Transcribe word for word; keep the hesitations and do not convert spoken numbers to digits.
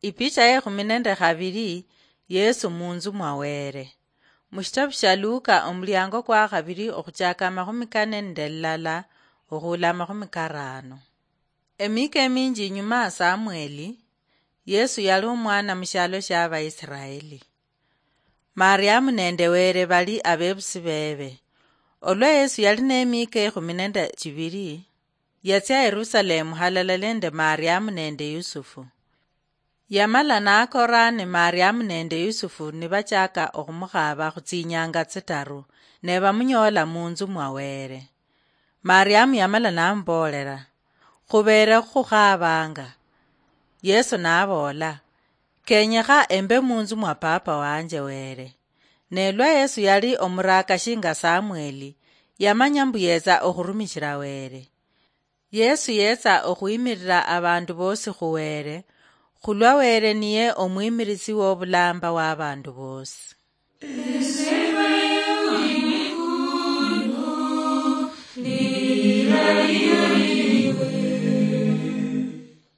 Ipicha ye khumi nende khabiri. Yesu munzu mwa Were. Mushitabu shia Luka, omuliango kwa khabiri, okhuchaka amakhumi kane nende lilala okhula amakhumi karano. Emika eminji inyuma ya Samweli, Yesu yali omwana mushialo shia Abaisiraeli. Mariamu nende Were bali abebusi bebe. Olwa Yesu yali nemika ekhumi nende chibiri, yatsia Yerusalemu halala nende Mariamu nende Yusufu. Yamala nakora ni Mariamu nende Yusufu nibachaka okhumukhaba khutsinyanga tsitaru, ne bamunyola munzu mwa Were. Mariamu yamala namuboolera, "Khubeere khukhabanga." Yesu naboola, "Kenyekha embe munzu mwa Papa wanje Were." Ne lwa Yesu yali omuraka shinga Samweli, yamanya mbu yetsa okhurumishira Were. Yesu yetsa okhwimirira abandu bosi khu Were, khulwa Were niye omwimirisi wobulamba wa abandu bosi.